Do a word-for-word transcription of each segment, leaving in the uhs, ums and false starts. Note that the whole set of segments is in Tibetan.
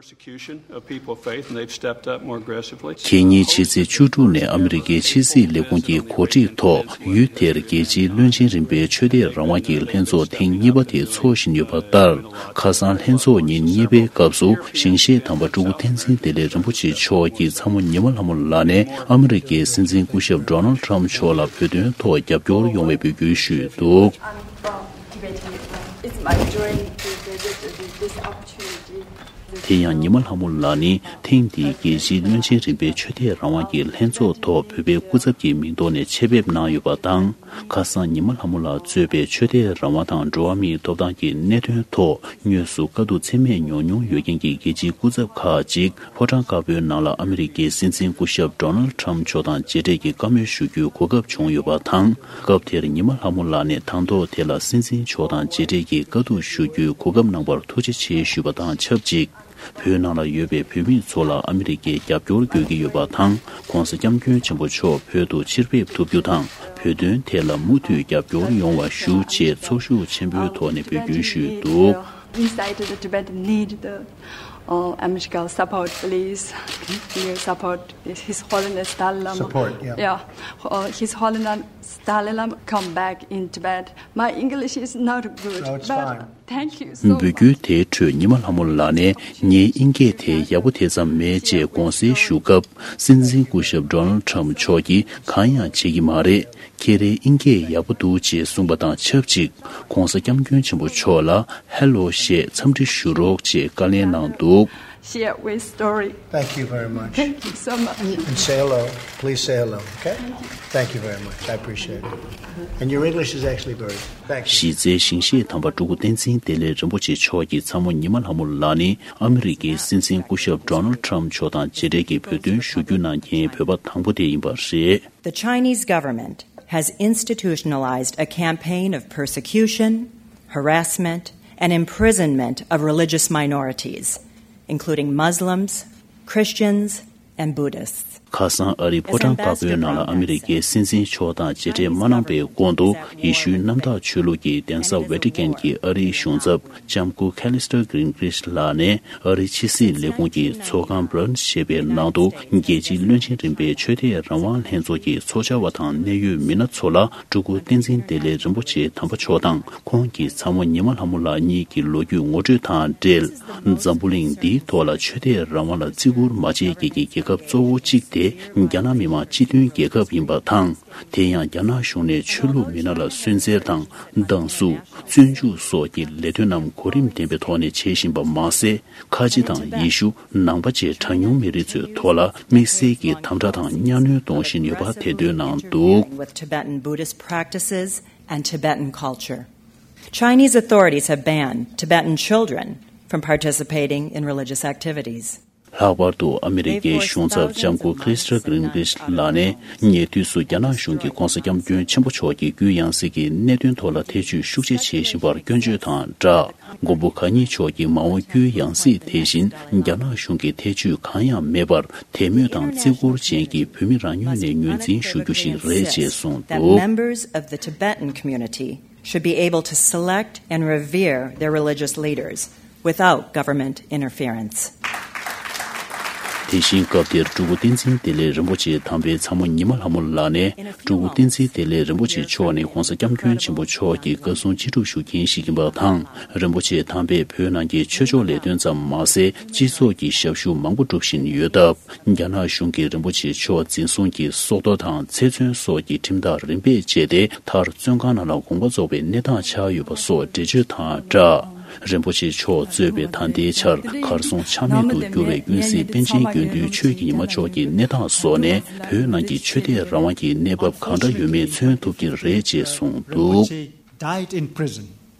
Persecution of people of faith, and they've stepped up more aggressively. ཁེ་ཉིན་ཕྱི་ཚེས་བཅུ་དྲུག་ནས་ཨ་མི་རི་ཀའི་ཕྱི་སྲིད་ལས་ཁུངས་ཀྱི་གོ་སྒྲིག་ཐོག་ཡུལ་དེར་རྒྱལ་སྤྱིའི་བློན་ཆེན་རིམ་པའི་ཆོས་དད་རང་དབང་གི་ལྷན་ཚོགས་ཐེངས་གཉིས་པ་དེ་འཚོགས་བཞིན་ཡོད་པ་ལྟར། ཁ་སང་ལྷན་ཚོགས་ཉིན་གཉིས་པའི་སྐབས་སུ་ཞིང་གཤེགས་དམ་པ་སྤྲུལ་སྐུ་བསྟན་འཛིན་བདེ་ལེགས་རིན་པོ་ཆེ་མཆོག་གིས་ཚ་མོ་ཉི་མ་ལྷ་མོ་ལགས་ནས་ཨ་མི་རི་ཀའི་སྲིད་འཛིན་སྐུ་ཞབས་Donald Trump་མཆོག་ལ་བོད་དོན་ཐོག་རྒྱབ་སྐྱོར་ཡོང་བའི་འབོད་སྐུལ་ཞུས་འདུག། It's my dream to visit this opportunity. དེ་ཡང་ཉི་མ་ལྷ་མོ་ལགས་ནི་ཐེངས་འདིའི་རྒྱལ་སྤྱིའི་བློན་ཆེན་རིམ་པའི་ཆོས་དད་རང་དབང་གི་ལྷན་ཚོགས་ཐོག་བོད་པའི་སྐུ་ཚབ་ཀྱི་མིང་ཐོག་ནས་ཆེད་ཕེབས་གནང་ཡོད་པ་དང་། ཁ་སང་ཉི་མ་ལྷ་མོ་ལགས་གཙོས་པའི་ཆོས་དད་རང་དབང་དང་འགྲོ་བ་མིའི་ཐོབ་ཐང་གི་གནད་དོན་ཐོག་དངོས་སུ་དཀའ་སྡུག་ཚད་མེད་མྱོང་མྱོང་ཡོད་མཁན་གྱི་རྒྱལ་སྤྱིའི་སྐུ་ཚབ་ཁག་ཅིག་ཕོ་བྲང་དཀར་པོའི་ནང་ལ་ཨ་མི་རི་ཀའི་སྲིད་འཛིན་སྐུ་ཞབས་Donald Trump་མཆོག་དང་མཇལ་འཕྲད་ཀྱི་བཀའ་མོལ་ཞུ་རྒྱུའི་གོ་སྐབས་བྱུང་ཡོད་པ་དང་། སྐབས་དེར་ཉི་མ་ལྷ་མོ་ལགས་ནས་དང་ཐོག་དེ་ལ་སྲིད་འཛིན་མཆོག་དང་མཇལ་འཕྲད་ཀྱི་བཀའ་བསྡུར་ཞུ་རྒྱུའི་གོ་སྐབས་གནང་བར་ཐུགས་རྗེ་ཆེ་ཞུས་པ་དང་ཆབས་ཅིག། བོད་ནང་ལ་ཡོད་པའི་བོད་མི་ཚོ་ལ་ཨ་མི་རི་ཀས་རྒྱབ་སྐྱོར་དགོས་ཀྱི་ཡོད་པ་དང་། ༸གོང་ས་༸སྐྱབས་མགོན་ཆེན་པོ་མཆོག་བོད་དུ་ཕྱིར་ཕེབས་ཐུབ་རྒྱུ་དང་། བོད་དོན་ཐད་ལ་མུ་མཐུད་རྒྱབ་སྐྱོར་ཡོང་བ་ཞུ་ཅེས་ཚོར་ཤུགས་ཆེན་པོའི་ཐོག་ནས་འབོད་སྐུལ་ཞུས་འདུག། Inside the Tibet need the uh, American support, please. Your support, His Holiness Dalai Lama. Support, yeah. Yeah, uh, His Holiness Dalai Lama come back in Tibet. My English is not good, no, it's but fine. Thank you so much. འབོད་སྐུལ་དེའི་ཁྲོད་ཉི་མ་ལྷ་མོ་ལགས་ནས་ངའི་ཨིན་སྐད་དེ་ཡག་པོ་དེ་ཙམ་མེད་ཅེས་དགོངས་སེལ་ཞུ་སྐབས། སྲིད་འཛིན་སྐུ་ཞབས་Donald Trump་མཆོག་གིས་གང་ཡང་བྱེད་ཀྱི་མ་རེད། ཁྱེད་རའི་ཨིན་སྐད་ཡག་པོ་འདུག་ཅེས་གསུངས་པ་དང་ཆབས་ཅིག། ༸གོང་ས་༸སྐྱབས་མགོན་ཆེན་པོ་མཆོག་ལ་Hello་ཞེས་འཚམས་འདྲི་ཞུ་རོགས་ཅེས་བཀའ་ལན་གནང་འདུག། Share with story. Thank you very much. Thank you so much. And say hello. Please say hello, okay? Thank you very much. I appreciate it. And your English is actually very good. Thank you. གཞི་རྩའི་ཞིང་གཤེགས་དམ་པ་སྤྲུལ་སྐུ་བསྟན་འཛིན་བདེ་ལེགས་རིན་པོ་ཆེ་མཆོག་གི་ཚ་མོ་ཉི་མ་ལྷ་མོ་ལགས་ནི་ཨ་མི་རི་ཀའི་སྲིད་འཛིན་སྐུ་ཞབས་Donald Trump་མཆོག་དང་མཇལ་འཕྲད་ཀྱི་བོད་དོན་ཞུ་རྒྱུ་གནང་མཁན་བོད་པ་དང་པོ་དེ་ཡིན་པ་རེད། The Chinese government has institutionalized a campaign of persecution, harassment, and imprisonment of religious minorities, including Muslims, Christians, and Buddhists. ཁ་སང་ཨ་རིའི་ཕོ་བྲང་དཀར་པོའི་ནང་ལ་ཨ་མི་རི་ཀའི་སྲིད་འཛིན་མཆོག་དང་མཇལ་འཕྲད་མ་གནང་པའི་གོང་དུ། ཡེ་ཤུའི་གནམ་བདག་ཆོས་ལུགས་ཀྱི་གདན་ས་ཝེ་ཏི་ཀན་གྱི་ཨ་རིའི་གཞུང་ཚབ་ལྕམ་སྐུ་Callister Greenfield་ལགས་ནས། ཨ་རིའི་ཕྱི་སྲིད་ལས་ཁུངས་ཀྱི་ཚོགས་ཁང་Bern་ཞེས་པའི་ནང་དུ། རྒྱལ་སྤྱིའི་བློན་ཆེན་རིམ་པའི་ཆོས་དད་རང་དབང་ལྷན་ཚོགས་ཀྱི་ཚོགས་བཅར་བ་དང་གནད་ཡོད་མི་སྣ་ཚོ་ལ། སྤྲུལ་སྐུ་བསྟན་འཛིན་བདེ་ལེགས་རིན་པོ་ཆེ་དམ་པ་མཆོག་དང་། ཁོང་གི་ཚ་མོ་ཉི་མ་ལྷ་མོ་ལགས་གཉིས་ཀྱི་ལོ་རྒྱུས་ངོ་སྤྲོད་དང་འབྲེལ། འཛམ་བུ་གླིང་འདིའི་ཐོག་ལ་ཆོས་དད་རང་དབང་ལ་བརྩི་བཀུར་མ་བྱེད་མཁན་གྱི་རྒྱལ་ཁབ་གཙོ་བོ་གཅིག་དེ། རྒྱ་ནག་མི་དམངས་སྤྱི་མཐུན་རྒྱལ་ཁབ་ཡིན་པ་དང་། དེ་ཡང་རྒྱ་ནག་གཞུང་ནས་ཆོས་ལུགས་མི་སྣ་ལ་སུན་གཙེར་དང་། སྡང་ཟུག་བཙོན་འཇུག་སོགས་ཀྱི་ལས་དོན་རྣམས་གོ་རིམ་ལྡན་པའི་ཐོག་ནས་བྱེད་བཞིན་པ་མ་ཟད། ཁ་ཆེ་དང་ཡེ་ཤུ། ནང་པ་བཅས་གྲངས་ཉུང་མི་རིགས་ཚོའི་ཐོག་ལ་དམིགས་བསལ་གྱི་དམ་དྲག་དང་གཉའ་གནོན་གཏོང་བཞིན་ཡོད་པ་ཐེར་འདོན་གནང་འདུག། With Tibetan Buddhist practices and Tibetan culture. Chinese authorities have banned Tibetan children from participating in religious activities. ལྷག་པར་དུ་ཨ་མི་རི་ཀའི་གཞུང་ཚབ་ལྕམ་སྐུ་Callister Greenfield་ལགས་ནས། ཉེ་དུས་སུ་རྒྱ་ནག་གཞུང་གིས་༸གོང་ས་༸སྐྱབས་མགོན་ཆེན་པོ་མཆོག་གི་རྒྱུད་ཡང་སྲིད་ཀྱི་གནད་དོན་ཐོག་ལ་ཐེ་བྱུས་ཤུགས་ཆེ་བྱེད་བཞིན་པར་སྐྱོན་བརྗོད་དང་སྦྲགས། མགོན་པོ་གང་ཉིད་མཆོག་གི་མ་འོངས་རྒྱུད་ཡང་སྲིད་དེ་བཞིན་རྒྱ་ནག་གཞུང་གི་ཐེ་བྱུས་གང་ཡང་མེད་པར། དད་མོས་དང་བརྩི་བཀུར་ཅན་གྱི་བོད་མི་རང་ངོས་ནས་ངོས་འཛིན་ཞུ་རྒྱུ་ཞིག་རེད་ཅེས་གསུངས་འདུག། That members of the Tibetan community should be able to select and revere their religious leaders without government interference. དེ་བཞིན་སྐབས་དེར་སྤྲུལ་སྐུ་བསྟན་འཛིན་བདེ་ལེགས་རིན་པོ་ཆེ་དམ་པའི་ཚ་མོ་ཉི་མ་ལྷ་མོ་ལགས་ནས། སྤྲུལ་སྐུ་བསྟན་འཛིན་བདེ་ལེགས་རིན་པོ་ཆེ་མཆོག་ནི་༸གོང་ས་༸སྐྱབས་མགོན་ཆེན་པོ་མཆོག་གི་བཀའ་གསུང་ཅི་སྒྲུབ་ཞུ་མཁན་ཞིག་ཡིན་པ་དང་། རིན་པོ་ཆེ་དམ་པས་བོད་ནང་གི་ཆོས་ཕྱོགས་ལས་དོན་ཙམ་མ་ཟད། སྤྱི་ཚོགས་ཀྱི་ཞབས་ཞུ་མང་པོ་སྒྲུབ་བཞིན་ཡོད་སྟབས། རྒྱ་ནག་གཞུང་གིས་རིན་པོ་ཆེ་མཆོག་འཛིན་བཟུང་གིས་སྲོག་ཐོག་དང་ཚེ་བཙོན་སོགས་ཀྱི་ཁྲིམས་ཐག་རིམ་པས་བཅད་དེ། མཐར་བཙོན་ཁང་ནང་ལ་དགོངས་པ་རྫོགས་པའི་གནས་སྟངས་ཆགས་ཡོད་པ་སོགས་འགྲེལ་བརྗོད་དང་སྦྲགས། རིན་པོ་ཆེ་མཆོག་གཙོས་པའི་ད་ལྟའི་ཆར་གར་སོང་ཆ་མེད་དུ་གྱུར་བའི་ཀུན་གཟིགས་པཎ་ཆེན་དགེ་འདུན་ཆོས་ཀྱི་ཉི་མ་མཆོག་གི་གནས་སྟངས་སོགས་ནས། བོད་ནང་གི་ཆོས་དད་རང་དབང་གི་གནས་བབ་གང་འདྲ་ཡོད་མེད་མཚོན་ཐུབ་ཀྱི་རེད་ཅེས་གསུངས་འདུག། Died in prison.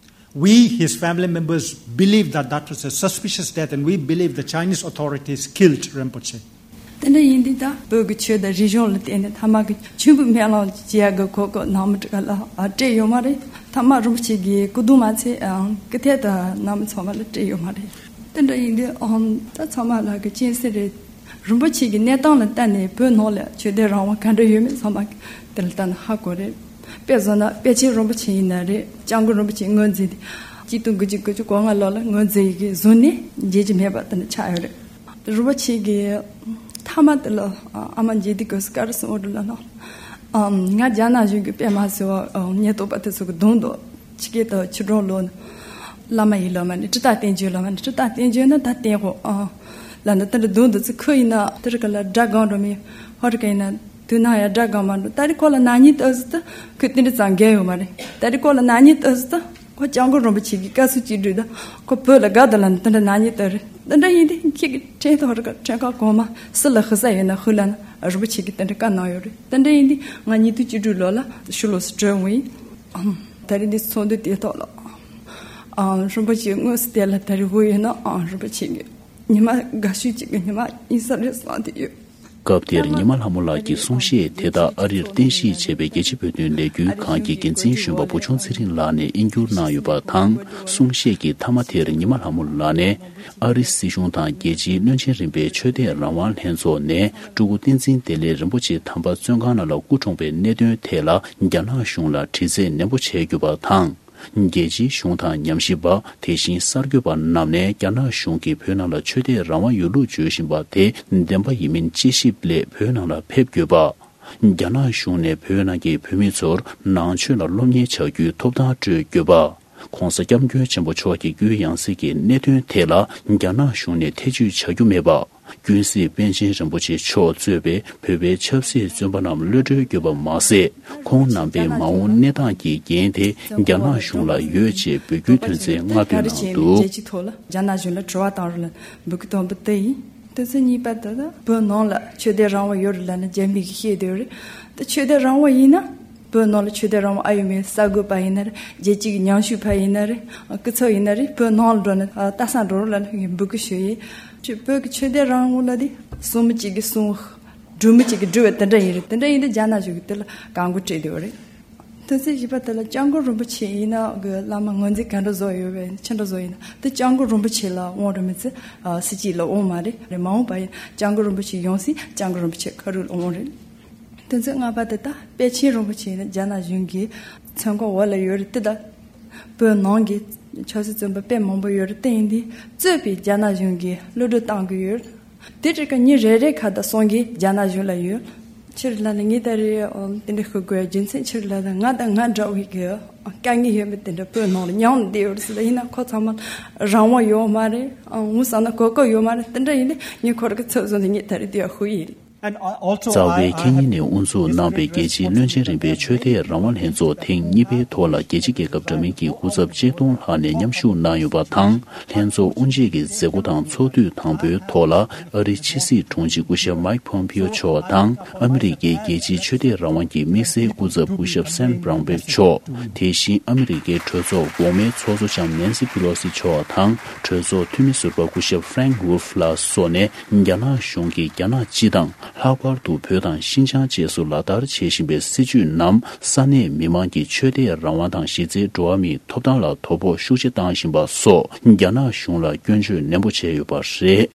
We, his family members, believe that that was a suspicious death, and we believe the Chinese authorities killed Rinpoche. དེ་འདྲ་ཡིན་དུས་ད་བོད་ཀྱི་ཆོས་དང་རིག་གཞུང་ལ་བརྟེན་ནས་མཐའ་མ་གི་མཆོད་འབུལ་སྨོན་ལམ་བྱེད་ཡག་གི་གོ་སྐབས་ནང་མི་དྲུག་ལ་སྤྲད་ཡོད་མ་རེད། མཐའ་མ་རིན་པོ་ཆེ་གི་སྐུ་གདུང་མ་ཚད་ཀི་ཐད་དུ་ནང་མི་ཚང་མ་ལ་སྤྲད་ཡོད་མ་རེད། དེ་འདྲ་ཡིན་དུས་ཨང་ད་ཚང་མ་ལ་གི་སྤྱན་གཟིགས་རེད། རིན་པོ་ཆེ་གི་གནས་སྟངས་ལ་བལྟས་ནས་བོད་ནང་ལ་ཆོས་དད་རང་དབང་ག་འདྲ་ཡོད་མེད་ཚང་མ་དེ་ལ་བལྟས་ན་ཧ་གོ་རེད། དཔེ་བཟོ་ན་པཎ་ཆེན་རིན་པོ་ཆེ་ཡིན་ན་རེད། སྐྱབས་མགོན་རིན་པོ་ཆེ་ངོས་འཛིན་ཏེ། གཅིག་སྟོང་དགུ་བརྒྱ་དགུ་བཅུ་གོ་ལྔ་ལོ་ལ་ངོས་འཛིན་ཡི་གེ་བཟོས་ནས་མཇལ་རྒྱུ་མེད་པ་དེ་འདྲ་ཆགས་ཡོད་རེད། རིན་པོ་ཆེ་གི་མཐའ་མ་དེ་ལ་ཨ་མ་མཇལ་དུས་སྐབས་སུ་ག་རེ་གསུངས་ཡོད་རེད་ལབ་ན། ཨམ། ང་རྒྱ་ནག་གཞུང་གི་དཔེ་མ་སྲིད་པ་ཨམ་ཉེན་རྟོག་པ་དེ་ཚོ་གི་གདོང་དུ་ཕྱི་རྒྱལ་དུ་ཕྱི་འགྲོ་ལོ་ན། བླ་མ་ཡིན་ལབ་མ་ནི་ཀྲི་ཏ་བསྟན་བཅོས་ལབ་མ་ནི་ཀྲི་ཏ་བསྟན་བཅོས་ན་ད་བསྟན་ཧོ་ཨ། ལབ་ན་དེ་འདྲ་གདོང་དུ་ཚུར་ཁུར་ཡིན་ན་དེ་རིང་ག་ལ་དགྲ་སྒང་འགྲོ་མི་ཧོ་རི་ཀ་ཡིན་ན་དུས་ནང་ཡང་དགྲ་སྒང་མ་འགྲོ། ད་རེས་ཁོ་ལ་ནག་ཉེས་བཏགས་ཟིན་ད་ཁོས་དེ་འདྲ་ཙང་འགལ་ཡོད་མ་རེད། ད་རེས་ཁོ་ལ་ནག་ཉེས་བཏགས་ཟིན་ད་ཁོ་སྐྱབས་མགོན་རིན་པོ་ཆེ་གི་བཀའ་ཟུར་གཅིག་སྒྲིལ་ད་ཁོ་བོད་ལ་དགའ་ད་ལབ་ན་དེ་འདྲ་ནག་ཉེས་བཏགས་རེད། དེ་འདྲ་ཡིན་དུས་ཁྱེད་ཀྱི་ཕྲན་ཐོག་རི་ཀ་ཕྲན་ཁག་གོང་མ་སུ་ལ་ཧི་ས་ཡོད་ན་ཧུ་ལ་ན་རིན་པོ་ཆེ་གི་དེ་འདྲ་བཀའ་གནང་ཡོད་རེད། དེ་འདྲ་ཡིན་དུས་ང་ཉིས་སྟོང་བཅུ་དྲུག་ལོ་ལ་ཕྱི་ལོགས་སུ་བྲོས་འོང་ཡིན། ཨམ། ད་རེས་འདི་ཚོགས་འདུ་དེ་ཐོག་ལ། ཨམ། རིན་པོ་ཆེ་དངོས་སུ་དེ་ལ་ད་རེས་ཧུ་ཡོད་ན་ཨམ་རིན་པོ་ཆེ་གི་ཉི་མ་དགའ་ཤོས་གཅིག་གི་ཉི་མ་ཡིན་ས་རེད་བསམ་གྱི་ཡོད། སྐབས་དེར་ཉི་མ་ལྷ་མོ་ལགས་ཀྱི་གསུང་བཤད་དེ་དག་ཨ་རིར་རྟེན་གཞི་བྱས་པའི་རྒྱལ་སྤྱིའི་བོད་དོན་ལས་འགུལ་ཁང་གི་འགན་འཛིན་གཞོན་པ་བུ་ཆུང་ཚེ་རིང་ལགས་ནས་དབྱིན་བསྒྱུར་གནང་ཡོད་པ་དང་། གསུང་བཤད་ཀྱི་མཐའ་མ་དེར་ཉི་མ་ལྷ་མོ་ལགས་ནས། ཨ་རི་སྲིད་གཞུང་དང་རྒྱལ་སྤྱིའི་བློན་ཆེན་རིམ་པའི་ཆོས་དད་རང་དབང་ལྷན་ཚོགས་ནས་སྤྲུལ་སྐུ་བསྟན་འཛིན་བདེ་ལེགས་རིན་པོ་ཆེ་དམ་པ་བཙོན་ཁང་ནང་ལ་སྐུ་གྲོངས་པའི་གནད་དོན་ཐད་ལ་རྒྱ་ནག་གཞུང་ལ་དྲི་རྩད་ནན་པོ་བྱས་ཡོད་པ་དང་། རྒྱལ་སྤྱིའི་གཞུང་དང་ཉམས་ཞིབ་པ། དེ་བཞིན་གསར་འགོད་པ་རྣམས་ནས་རྒྱ་ནག་གཞུང་གིས་བོད་ནང་ལ་ཆོས་དད་རང་དབང་ཡོད་ལུགས་བརྗོད་བཞིན་པ་དེ་བདེན་པ་ཡིན་མིན་དཔྱད་ཞིབ་སླད་བོད་ནང་ལ་ཕེབས་དགོས་པ། རྒྱ་ནག་གཞུང་ནས་བོད་ནང་གི་བོད་མི་ཚོར་ནང་ཆོས་ལ་སློབ་གཉེར་བྱ་རྒྱུའི་ཐོབ་ཐང་སྤྲོད་དགོས་པ། ྋགོང་ས་ྋསྐྱབས་མགོན་ཆེན་པོ་མཆོག་གི་སྐུའི་ཡང་སྲིད་ཀྱི་གནད་དོན་ཐད་ལ་རྒྱ་ནག་གཞུང་ནས་ཐེ་བྱུས་བྱ་རྒྱུ་མེད་པ། ཀུན་གཟིགས་པཎ་ཆེན་རིན་པོ་ཆེ་མཆོག་གཙོས་པའི་བོད་པའི་ཆབ་སྲིད་བཙོན་པ་རྣམས་གློད་གྲོལ་དགོས་པ་མ་ཟད། ཁོང་རྣམ་པའི་མ་འོངས་གནས་སྟངས་ཀྱི་འགན་དེ་རྒྱ་ནག་གཞུང་ལ་ཡོད་ཅེས་འབོད་སྐུལ་དོན་ཚན་ལྔ་བཏོན་གནང་འདུག། རྒྱལ་སྤྱིའི་ཐོག་ལ་རྒྱ་ནག་གཞུང་ལ་དྲི་བ་བཏང་རོགས་ལ་འབོད་སྐུལ་དང་པོ་དེ་ཡིན། དོན་ཚན་གཉིས་པ་དེ་ལ་བོད་ནང་ལ་ཆོས་དད་རང་དབང་ཡོད་རེད་ལབ་ན་རྒྱ་མི་གིས་བཤད་བསྡད་ཡོད་རེད། ད་ཆོས་དད་རང་དབང་ཡིན་ན་བོད་ནང་ལ་ཆོས་དད་རང་དབང་ཨ་ཡོད་མེད་གསར་འགོད་པ་ཡིན་ན་རེད། རྒྱལ་སྤྱི་གི་ཉམས་ཞིབ་པ་ཡིན་ན་རེད། སྐུ་ཚབ་ཡིན་ན་རེད། བོད་ནང་ལ་འགྲོ་ནས་ལྟ་ས་འགྲོ་རོགས་ལབ་ནས་ངས་འབོད་སྐུལ་ཞུ་ཡིན། ཅིག་བོད་ཀྱི་ཆོས་དད་རང་དབང་ལ་དེ་སྲུང་མི་གཅིག་གིས་སྲུང་། སྒྲུབ་མི་གཅིག་གིས་སྒྲུབ་པ་དེ་འདྲ་ཡིན་རེད། དེ་འདྲ་ཡིན་དུས་རྒྱ་ནག་གཞུང་གིས་དེ་ལ་བཀག་འགོག་སྤྲད་བསྡད་ཡོད་རེད། དོན་ཚན་བཞི་པ་དེ་ལ་སྐྱབས་མགོན་རིན་པོ་ཆེ་ཡིན་ན་གི་བླ་མ་ངོས་འཛིན་ག་འདྲ་བཟོ་ཡོད་པས་ཅི་འདྲ་བཟོ་ཡིན་ན་དེ་སྐྱབས་མགོན་རིན་པོ་ཆེ་ལ་དབང་རེད་མི་ཚེ་སྲིད་སྤྱི་ལ་དབང་མ་རེད། རེད་མ་འོངས་པ་ཡིན་སྐྱབས་མགོན་རིན་པོ་ཆེ་ཡོང་སྲིད་སྐྱབས་མགོན་རིན་པོ་ཆེ་ཁ་རུ་ལ་དབང་རེད། དོན་ཚན་ལྔ་པ་དེ་ད་པཎ་ཆེན་རིན་པོ་ཆེ་ཡིན་ན་རྒྱ་ནག་གཞུང་གི་མཚན་ཁང་འོག་ལ་ཡོད་རེད། དེ་ད་བོད་ནང་གི་ཆབ་སྲིད་བཙོན་པ་དཔེ་མང་པོ་ཡོད་རེད། དེ་ཡིན་དུས་གཙོས་པའི་རྒྱ་ནག་གཞུང་གིས་གློད་གྲོལ་བཏང་གི་ཡོད། དེ་འདྲ་གི་མི་རེ་རེ་ཁ་ད་གསུང་གི་རྒྱ་ནག་གཞུང་ལ་ཡོད། ཕྱིར་ལ་ནི་ངས་ད་རེས་ཨམ་དེ་འདྲ་ཤོད་དགོས་རྒྱུ་མཚན་ཕྱིར་ལ་ད་ང་དང་ང་འདྲ་བའི་གི་དཀའ་ངལ་ཡོད་མེད་དེ་འདྲ་བོད་ནང་ལ་མྱངས་བསྡད་ཡོད་ཟེར། ད་ཡིན་ན་ཁོ་ཚང་མ་རང་དབང་ཡོད་མ་རེད། ཨང་ངུ་ཟ་ན་གོ་སྐབས་ཡོད་མ་རེད། དེ་འདྲ་ཡིན་ན་ངས་ཁོ་ར་གི་ཚབ་བཟོ་ནས་ངས་ད་རེས་དེ་ཡ་ཧུ་ཡིན། རྩ་བའི་ཁེ་ཉིན་ནས་དབུ་འཛུགས་གནང་བའི་རྒྱལ་སྤྱིའི་བློན་ཆེན་རིམ་པའི་ཆོས་དད་རང་དབང་ལྷན་ཚོགས་ཐེངས་གཉིས་པའི་ཐོག་ལ་རྒྱལ་སྤྱི་རྒྱལ་ཁབ་འདྲ་མིན་གྱི་སྐུ་ཚབ་ཆིག་སྟོང་ལྷག་ནས་མཉམ་ཞུགས་གནང་ཡོད་པ་དང་། ལྷན་ཚོགས་དབུ་འབྱེད་ཀྱི་མཛད་སྒོ་དང་ཚོགས་དུས་དང་པོའི་ཐོག་ལ་ཨ་རིའི་ཕྱི་སྲིད་དྲུང་ཆེ་སྐུ་ཞབས་མཱིག་ཕོམ་པིའོ་མཆོག་དང་ཨ་མི་རི་ཀའི་རྒྱལ་སྤྱིའི་ཆོས་དད་རང་དབང་གི་དམིགས་བསལ་སྐུ་ཚབ་སྐུ་ཞབས་སེམ་བྷ་རོན་པེ་མཆོག་དེ་བཞིན་ཨ་མི་རི་ཀའི་གྲོས་ཚོགས་འོག་མའི་ཚོགས་གཙོ་ལྕམ་ནན་སི་པི་ལོ་སི་མཆོག་དང་གྲོས་ཚོགས་འཐུས་མི་ཟུར་པ་སྐུ་ཞབས་ཧྥ་རེང་ཝུལ་ཧྥ་ལགས་སོགས་ནས་རྒྱ་ནག་གཞུང་གིས་རྒྱ་ནག་སྤྱི་དང་། ལྷག་པར་དུ་བོད་དང་ཤིན་ཅང་བཅས་སུ་ལག་བསྟར་བྱེད་བཞིན་པའི་སྲིད་བྱུས་རྣམས་ས་གནས་མི་མང་གི་ཆོས་དད་རང་དབང་དང་གཞི་རྩའི་འགྲོ་བ་མིའི་ཐོབ་ཐང་ལ་དོ་ཕོག་ཤུགས་ཆེ་བཏང་བཞིན་པ་སོགས་རྒྱ་ནག་གཞུང་ལ་སྐྱོན་བརྗོད་ནན་པོ་བྱས་ཡོད་པ་རེད།